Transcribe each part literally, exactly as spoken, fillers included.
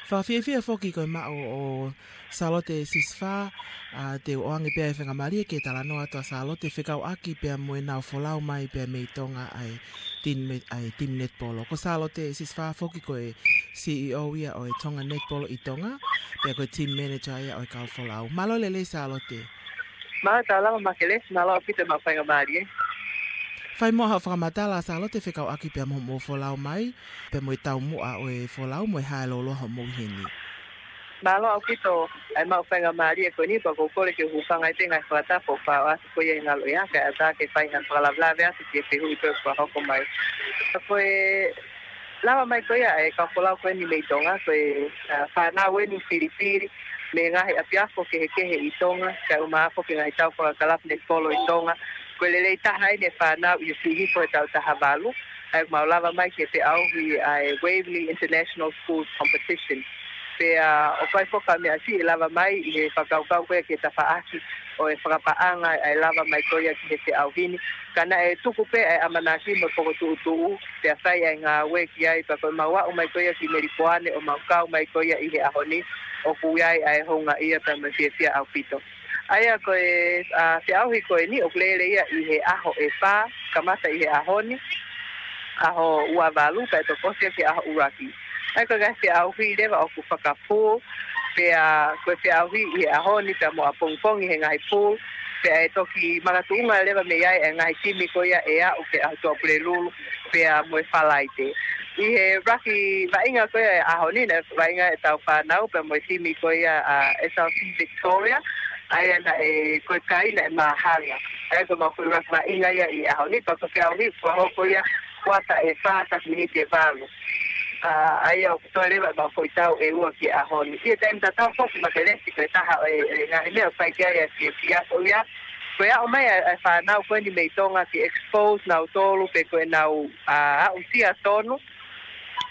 Fakafiefia foki ko e maʻu ʻo Sālote Sisifā, ʻa, te u ʻoange pē ʻa e faingamālie ke talanoa atu ʻa Sālote fekauʻaki pea mo ʻenau folau mai pea mei Tonga ʻa e team, ʻa e team netipolo. Ko Sālote Sisifā foki ko e C E O ia ʻo e Tonga Netipolo ʻi Tonga, pea ko e team manager ia ʻo e kau folau. Mālō e lelei Sālote. Mālō e taulama Makelesi, mālō ʻaupito e maʻu faingamālie. Fai muʻa haʻo fakamatala Sālote fekauʻaki pea mo hoʻomou folau mai, pea mo e taumuʻa ʻo e folau mo e hā e lōloa hoʻomou ʻi heni. Mālō ʻaupito e maʻu faingamālie ko eni pea ʻoku ou kole ke u hūfanga ʻi he ngaahi fakatapu ʻoku fai atu ko ia ʻi he ngalo ia kae ʻatā ke fai ha fakalavelave atu ki he fehuʻi ko ē ʻoku fakahoko mai. Ko e lava mai ko ia e kau folau ko eni mei Tonga, ko e, ʻa, fānau eni filifili mei he ngaahi ʻapiako kehekehe ʻi Tonga, kae ʻumaʻā foki e ngaahi tau fakakalapu netipolo ʻi Tonga. Ko e lelei taha eni e fānau ʻi he fili ko e tau taha valu, ʻa ia ʻoku mau lava mai ki he feʻauhi ʻa e Waverley International Schools Competition. Pea ʻoku ʻi ai foki ha meʻa siʻi ʻe lava mai ʻi he fakakaukau ko ia ki he tafaʻaki ʻo e fakapaʻanga ʻa e lava mai ko ia ki he feʻauhi ni. Ka naʻe tuku pē ʻa e ʻamanaki mo e pokotuʻutuʻu, pea fai ʻa e ngāue ki ai, pea ko ʻemau aʻu mai ko ia ki Melipoane ʻo mau kau mai ko ia ʻi he ʻaho ni, ʻoku ʻi ai ʻa e houngaʻia pea mo e fiefia ʻaupito. ʻA ia ko e, ʻa, feʻauhi ko eni ʻoku lele ia ʻi he ʻaho ʻe fā, kamata ʻi he ʻaho ni, ʻaho ua valu, kae toki ʻosi ia ki he ʻaho ʻuluaki. ʻA ia ko e ngaahi feʻauhi leva ʻoku fakapool, pea ko e feʻauhi ʻi he ʻaho ni pea mo ʻapongipongi he ngaahi pool, pea ʻe toki makatuʻunga leva mei ai e ngaahi timi ko ia ʻe aʻu ki he ʻaho Tuʻa Pulelulu, pea mo e Falaite. ʻI he raki vaʻinga ko ia e ʻaho ni, naʻe vaʻinga e tau fānau, pea mo e timi ko ia ʻa S L C Victoria, ʻa ia naʻe ko e kai naʻe māhanga. ʻA ia ko ʻemau foʻi raki vaʻinga ia ʻi he ʻaho ni, pea ko e feʻauhi fakahoko ia kuata ʻe fā, taki miniti ʻe valu. ʻA, ʻa ia ʻoku toe leva ʻemau foʻi tau ʻe ua ki he ʻaho ni. ʻI he taimi tatau foki Makelesi ko e taha ʻo e, e ngaahi meʻa ʻoku fai ki ai e fiefia ko ia. Ko e aʻu mai ʻa e, ʻa e fānau ko eni mei Tonga ke expose nautolu pe ko ʻenau, ʻa, aʻusia tonu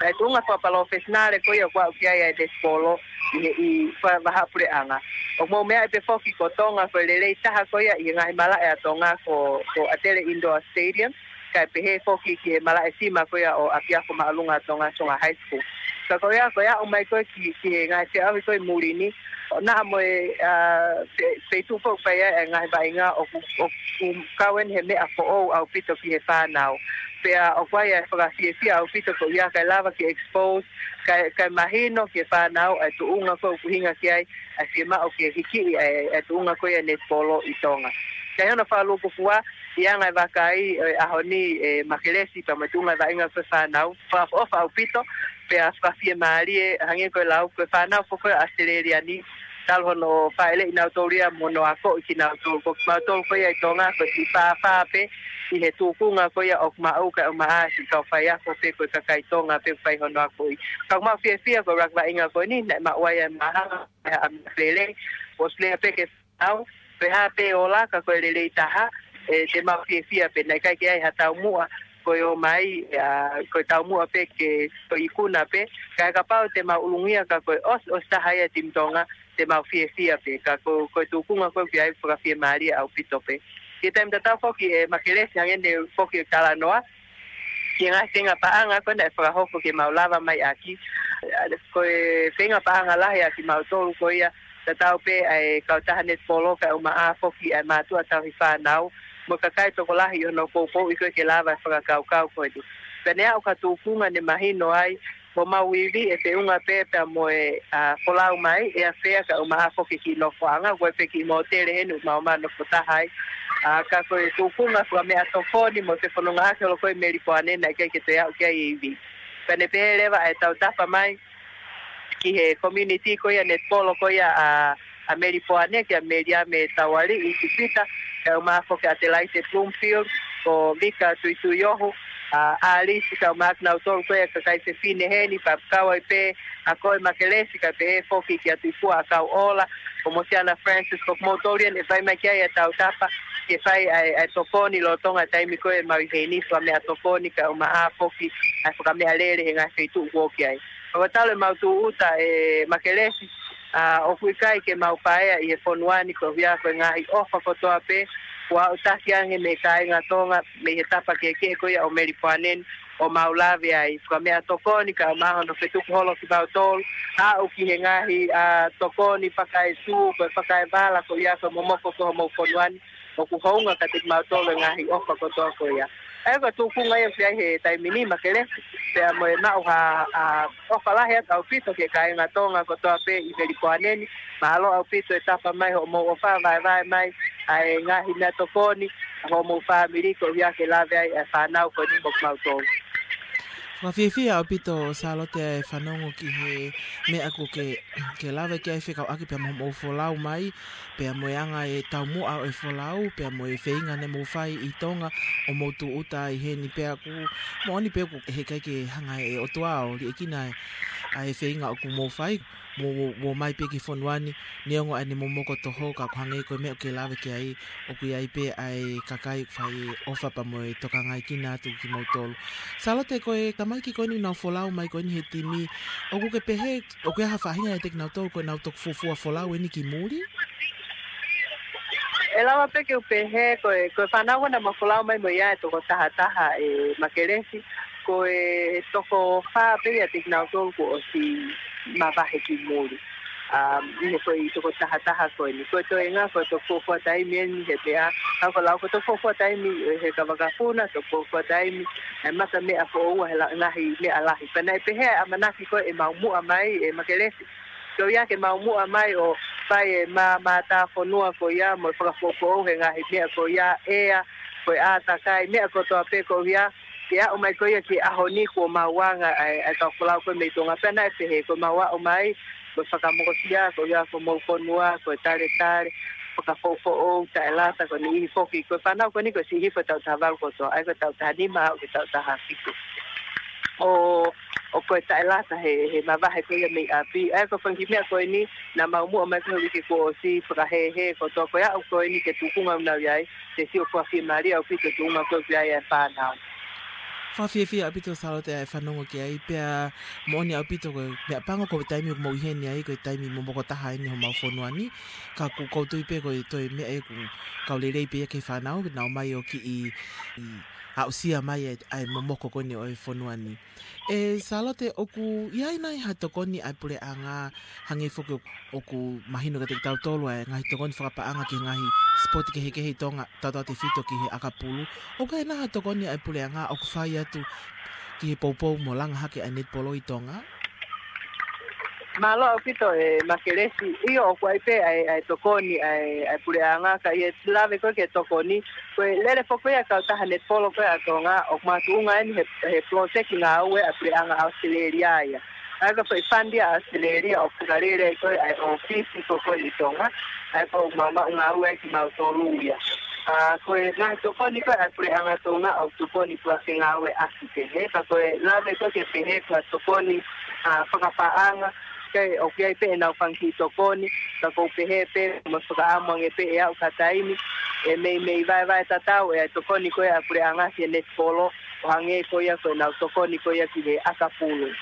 ʻa e tuʻunga fakapalofesinale ko ia ʻoku aʻu ki ai ʻa e netipolo ʻi he, ʻi fa-, vahaʻa puleʻanga. ʻOku mou meaʻi pē foki ko Tonga ko e lelei taha ko ia ʻi he ngaahi malaʻe ʻa Tonga ko, ko ʻAtele Indoor Stadium, kae pehē foki ki he malaʻe sima ko ia ʻo ʻApiako Māʻolunga ʻa Tonga, Tonga High School. Ka ko ia, ko e aʻu mai ko ē ki, ki he ngaahi feʻauhi ko ē ʻi muli ni, ʻo naʻa mo e, ʻa, fe-, feituʻu foki ʻoku fai ai e ngaahi vaʻinga ʻoku, ʻoku kau eni he meʻa foʻou ʻaupito ki he fānau. Pea ʻoku ʻi ai e fakafiefia ʻaupito ko ia kae lava ke expose, kae, kae mahino ki he fānau ʻa e tuʻunga ko ē ʻoku ʻuhinga ki ai ʻa e fiemaʻu ke hikiʻi ʻa e, ʻa e tuʻunga ko ia e netipolo ʻi Tonga. Kae ʻi hono fakalūkufua, ʻi he anga e vakai ʻo e ʻaho ni ʻe Makelesi pea mo e tuʻunga e vaʻinga ko ē fānau, fakaʻofoʻofa ʻaupito, pea fakafiemālie, hangē ko e lau, ko e fānau foki ko ē ʻAositelēlia ni, talu hono fāʻeleʻi nautolu ia mo hono akoʻi kinautolu, ko kimautolu ko ia ʻi Tonga, ko e siʻi fāfā pē ʻi he tūkunga ko ia ʻoku maʻu kae ʻumaʻā siʻi kau faiako pe ko e kakai Tonga pē ʻoku fai hono akoʻi. Ka ʻoku mau fiefia ko e raki vaʻinga ko eni, naʻe maʻu ai e māhanga, ʻa e ʻamanaki lelei, ʻoku lea pē ke fānau, pe ko e hā pē ʻe ola ka ko e lelei taha, ʻe te mau fiefia pē, naʻe ʻikai ke ʻi ai ha taumuʻa ko e ō mai, ʻa, ko e taumuʻa pē ke ko e ikuna pē, ka ʻe kapau te mau ʻulungia ka ko e ʻosi, ʻosi taha ia e timi Tonga, te mau fiefia pē, ka ko, ko e tūkunga ko ē ʻoku ʻi ai fakafiemālie ʻaupito pē. ʻI he taimi tatau foki ʻe Makelesi hangē ne u foki ʻo talanoa, ki he ngaahi feinga paʻanga ko ē naʻe fakahoko ke mau lava mai ʻaki. Ko e feinga paʻanga lahi ʻa kimautolu ko ia, tatau pē ʻa e kautaha netipolo kae ʻumaʻā foki ʻa e mātuʻa tauhi fānau, mo e kakai tokolahi ʻi hono poupouʻi ko ē ke lava e fakakaukau ko eni. Pea ne aʻu ki ha tūkunga ne mahino ai, ko homau ivi ʻe feʻunga pē pea mo e, ʻa, folau mai, ʻe ʻafea kae ʻumaʻā foki ki nofoʻanga, ko e pē ki mōtele heni ʻoku mau ō mai ʻo nofo taha ai. ʻA, ka ko e tūkunga fakameʻatokoni mo e fefonongaʻaki holo ko ē Melipoane naʻe ʻikai ke toe aʻu ki ai e ivi. Pea ne pehē leva ʻa e tautapa mai ki he community ko ia netipolo ko ia ʻa, ʻa Melipoane, kia Meliame Taualiʻi Tupita, kae ʻumaʻā foki ʻAtelaite Bloomfield, ko Vika Tuituiohu, ʻa, ʻAlisi, kae ʻumaʻā kinautolu ko ia kakai fefine heni, pea kau ai pē ʻa koe Makelesi, kae pehē foki kia Tuʻifua ʻa Kauʻola, ko Mosiana Francis, ko kimoutolu ia naʻe fai mai ki ai e tautapa, ke fai ʻa e, ʻa e tokoni lolotonga e taimi ko ē ʻemau ʻi heni, fakameʻatokoni, kae ʻumaʻā foki ʻa e fakameʻalele he ngaahi feituʻu ʻoku ō ki ai. Ka ko e talu ʻemau tūʻuta ʻe Makelesi, ʻa, ʻoku ʻikai ke mau paea ʻi he fonua ni koeʻuhi ko e ngaahi ʻofa kotoa pē, kuo aʻutaki ange mei he kāinga Tonga, mei he tapa kehekehe ko ia ʻo Melipoane ni, ʻo mau lave ai. Fakameʻatokoni kae ʻumaʻā hono fetuku holo kimautolu, aʻu ki he ngaahi, ā, tokoni fakaetu, ko e fakaevala, ko ia ko e momoko ko homou fonua ni, ʻoku hounga kiate kimautolu e ngaahi ʻofa kotoa ko ia. ʻA ia ko e tūkunga ia ʻoku ʻi ai he taimi ni Makelesi, pea mo e maʻu ha, ā, ʻofa lahi atu ʻaupito ki he kāinga Tonga kotoa pē ʻi Melipoane ni. Mālō ʻaupito e tapa mai hoʻomou ʻofa, vaevae mai ʻa e ngaahi meʻatokoni ʻa homou fāmili koeʻuhi ke lave ai e fānau ko eni mo kimautolu. Fakafiefia ʻaupito Sālote e fanongo ki he meʻa ʻoku ke, ke lave ki ai fekauʻaki pea mo hoʻomou folau mai, pea mo e anga e taumuʻa ʻo e folau, pea mo e feinga naʻa mou fai ʻi Tonga ʻo mou tūʻuta ai heni, pea ʻoku moʻoni pē ʻoku heʻikai ke hanga ʻe he ʻOtua ʻo liʻekina ʻa e feinga ʻoku mou fai, mo, mo, mo ō mai pē ki he fonua ni, neongo ʻene momoko toho, ka ʻoku hangē ko e meʻa ʻoku ke lave ki ai, ʻoku ʻi ai pē ʻa e kakai ʻoku fai e ʻofa pea mo e tokangaekina atu kimoutolu. Sālote, ko e tamaiki ko eni naʻa nau folau mai ko eni he timi, ʻoku ke pehē, ʻoku ʻi ai ha faʻahinga ʻiate kinautolu ko ʻenau toki fuofua folau eni ki muli? ʻE lava pē ke u pehē, ko e, ko e fānau ko ē naʻa mau folau mai mo ia ʻe toko tahataha, ē, Makelesi, ko e toko fā pē ʻiate kinautolu kuo ʻosi mavahe ki muli. Um, ʻi he foʻi toko tahataha ko eni. Ko e toenga, ko e toko fuofua taimi eni he meʻa, ʻa ia ko e lau ko e toko fuofua taimi he kavakafuna, toko fuofua taimi, ʻa e mata meʻa foʻou, he la-, ngaahi meʻa lahi. Pea naʻe pehē ʻa e ʻamanaki ko ē ʻemau muʻa mai, ē Makelesi, ko ia ke mau muʻa mai ʻo fai e mā-, mātāfonua ko ia mo e fakafoʻofoʻou he ngaahi meʻa ko ia, ʻea, ko e ʻātakai, meʻa kotoa pē ko ia, ke aʻu mai ko ia ki he ʻaho ni kuo mau anga ʻa e, ʻa e kau folau ko ē mei Tonga. Pea naʻe pehē ko ʻemau aʻu mai, ko e fakamokosia ko ia ko homou fonua, ko e taletale, fakafoʻofoʻou, taʻelata, ko e niʻihi foki, ko e fānau ko eni ko e siʻi hifo he taʻu taha valu kotoa, ʻa ia ko e taʻu taha nima aʻu ki he taʻu taha fitu. ʻO, ʻo ko e taʻelata he, he mavahe ko ia mei ʻapi. ʻA ia ko e fanga kiʻi meʻa ko eni, naʻa mau muʻa mai ko ē he uike kuo ʻosi, fakahēhē kotoa, ko e aʻu ko eni ki he tūkunga ʻoku nau ʻi ai, te sio ko e fiemālie ʻaupito e tūkunga ko ē ʻoku ʻi ai e fānau. Fakafiefia ʻaupito Sālote ʻa e fanongo ki ai, pea moʻoni ʻaupito ko e meʻapango ko e taimi ʻoku mou ʻi heni ai, ko e taimi momoko taha eni homau fonua ni, ka ʻoku ou tui pē ko e toe meʻa ʻoku kau lelei pē ia ki he fānau, ke nau ō mai ʻo kiʻi, ʻi, aʻusia mai ʻa e, ʻa e momoko ko eni ʻo e fonua ni. ʻE Sālote, ʻoku ʻi ai nai ha tokoni ʻa e puleʻanga, hangē foki ʻoku mahino kiate kitautolu ʻa e ngaahi tokoni fakapaʻanga ki he ngaahi sipoti kehekehe ʻi Tonga, tautautefito ki he ʻakapulu? ʻOku ʻi ai nai ha tokoni ʻa e puleʻanga ʻoku fai atu ki he poupou mo langa hake ʻa e netipolo ʻi Tonga? Mālō ʻaupito ē Makelesi, ʻio ʻoku ʻi ai pē ʻa e, ʻa e tokoni ʻa e, ʻa e puleʻanga, ka ʻi he lave ko ē ki he tokoni, ko e lele foki ʻa e kautaha netipolo ko ē ʻa Tonga, ʻoku makatuʻunga eni he, he poloseki ngāue ʻa e puleʻanga ʻAositelēlia ia. ʻA ia ko e foʻi fund ia ʻa ʻAositelēlia ʻoku fakalele ai ko ē ʻa e ʻōfisi ko ē ʻi Tonga, ʻa ia ko ʻemau maʻu ngāue ai kimautolu ia. ʻA, ko e ngaahi tokoni ko ē ʻa e puleʻanga Tonga ʻoku tokoni ko ē ke ngāueʻaki pehē, ka ko e lave ko ē ke pehē ko e tokoni, ʻa, fakapaʻanga, ke ʻoku ʻi ai pē ʻenau fanga kiʻi tokoni, ka ʻoku ou pehē pē, mo fakaʻamu ange pē ʻe aʻu ki ha taimi, ʻe meimei vaevae tatau ʻa e tokoni ko ē ʻa e puleʻanga ki he netipolo, ʻo hangē ko ia ko ʻenau tokoni ko ia ki he ʻakapulu.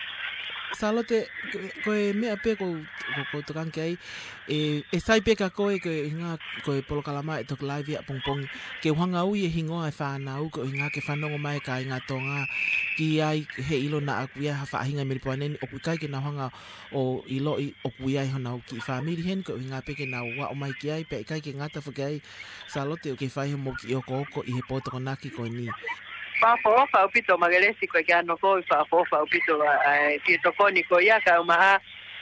Sālote, ko, ko e meʻa pē ʻoku, ʻoku, ʻoku ou tokanga ki ai, ʻe, ʻe sai pē kia koe, ko e ʻuhinga, ko e polokalama ʻe toki laivi ʻapongipongi, ke u hanga ui e hingoa e fānau, ko e ʻuhinga ke fanongo mai e kāinga Tonga ki ai, he ʻilo naʻa ʻoku ʻi ai ha faʻahinga ʻi Melipoane ni ʻoku ʻikai ke nau hanga ʻo ʻiloʻi ʻoku ʻi ai honau kiʻi fāmili heni, ko e ʻuhinga pē ke nau aʻu mai ki ai, pea ʻikai ke ngata foki ai, Sālote, ʻoku ke fai hoʻomou kiʻi okooko ʻi he pō Tokonaki ko eni. Fakaʻofoʻofa ʻaupito Makelesi, ko e kiʻi ano ko ē, fakaʻofoʻofa ʻaupito ʻa, ʻa e kiʻi tokoni ko ia, kae ʻumaʻā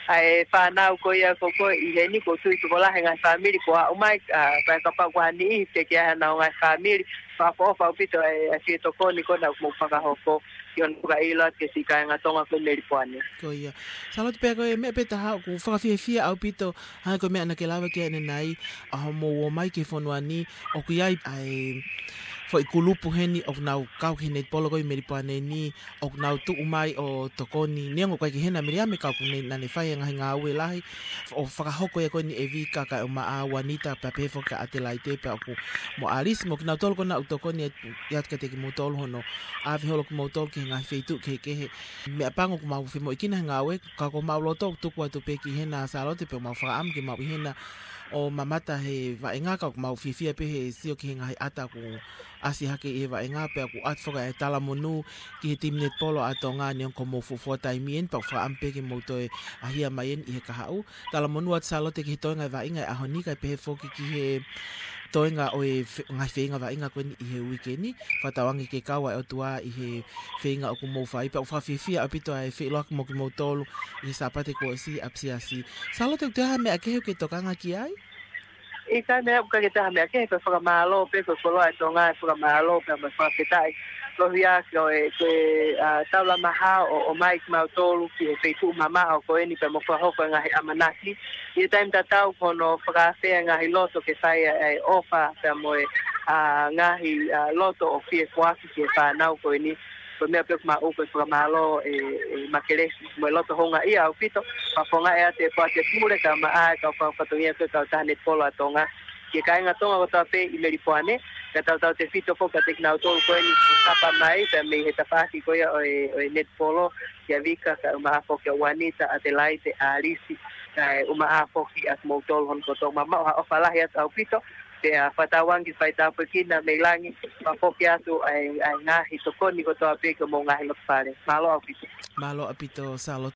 ʻa e fānau ko ia ko ē ʻi heni, ʻoku ou tui tokolahi e ngaahi fāmili kuo aʻu mai, ʻa, pea kapau ʻoku ʻi ai ha niʻihi teʻeki ai haʻanau ngaahi fāmili, fakaʻofoʻofa ʻaupito ʻa e, ʻa e kiʻi tokoni ko ē naʻa mou fakahoko, ʻi hono fakaʻilo atu ki he siʻi kāinga Tonga ko ē ʻi Melipoane. Ko ia. Sālote, pea ko e meʻa pē taha ʻoku fakafiefia ʻaupito, hangē ko e meʻa naʻa ke lave ki ai ʻanenai, ʻa hoʻomou ō mai ki he fonua ni, ʻoku ʻi ai ʻa e foʻi kulupu heni ʻoku nau kau ki he netipolo ko ē ʻi Melipoane ni, ʻoku nau tuʻu mai ʻo tokoni, neongo ʻoku ʻikai ke ʻi hena ʻa Meliame ka ʻoku ne, naʻa ne fai e ngaahi ngāue lahi, ʻo fakahoko ia ko eni ʻe Vika kae ʻumaʻā Uanita pea pehē foki kia ʻAtelaite, pea ʻoku mo ʻAlisi mo kinautolu ko ē naʻa nau tokoni atu, ʻi atu kiate kimoutolu hono ʻave holo kimoutolu ki he ngaahi feituʻu kehekehe. Meʻapango ʻoku mau femoʻuekina he ngāue, ka ko homau loto ʻoku tuku atu pē ki hena Sālote pea ʻoku mau fakaʻamu ke mau ʻi hena ʻo mamata he vaʻinga, ka ʻoku mau fiefia pē he sio ki he ngaahi ʻata ʻoku ʻasi hake ʻi he vaʻinga pea ʻoku ʻoatu foki ʻa e talamonū ki he timi netipolo ʻa Tonga ni ʻoku mou fuofua taimi eni pea ʻoku fakaʻamu pē ke mou toe ʻaʻahi mai eni ʻi he kahaʻu. Talamonū atu Sālote ki he toenga e vaʻinga e ʻaho ni kae pehē foki ki he toenga ʻo e fe-, ngaahi feinga vaʻinga ko eni ʻi he uike ni. Fakatauange ke kau ʻa e ʻOtua ʻi he feinga ʻoku mou fai pea ʻoku fakafiefia ʻaupito ʻa e feʻiloaki mo kimoutolu ʻi he Sāpate kuo ʻosi ʻapisiasi. Sālote ʻoku toe ʻi ai ha meʻa kehe ʻoku ke tokanga ki ai? ʻIkai meʻa ʻoku ʻikai ke toe ʻi ai ha meʻa kehe, ko e fakamālō pē, ko e koloa ʻa Tonga, e fakamālō pē mo e fakafetaʻi. Koeʻuhi ko e, ko e, ʻa, taulama hao ʻo, ʻomai kimautolu ki he feituʻu mamaʻo ko eni pea mo fakahoko e ngaahi ʻamanaki. ʻI he taimi tatau ko hono fakaafeʻi e ngaahi loto ke fai ʻa e ʻofa pea mo e, ʻa, ngaahi, ʻa, loto ʻo fie foaki ki he fānau ko eni. Ko e meʻa pē ʻoku maʻu ko e fakamālō e, e Makelesi mo e loto houngaʻia ʻaupito. Fakafofongaʻi atu e poate pule kae ʻumaʻā e kau fakafatongia ko e kautaha netipolo ʻa Tonga. Ki he kāinga Tonga kotoa pē ʻi Melipoane, kae tautautefito foki kiate kinautolu ko eni ʻoku tapa mai pea mei he tafaʻaki ko ia ʻo e, ʻo e netipolo, kia Vika, kae ʻumaʻā foki ʻa Uanita, Atelaite, Alisi, kae ʻumaʻā foki ʻa kimoutolu hono kotoa. Mou maʻu ha ʻofa lahi atu ʻaupito, pea fakatauange ke fai tāpuekina mei langi, pea foki atu ʻa e, ʻa e ngaahi tokoni kotoa pē ki homou ngaahi loto fale. Mālō ʻaupito. Mālō ʻaupito, Sālote.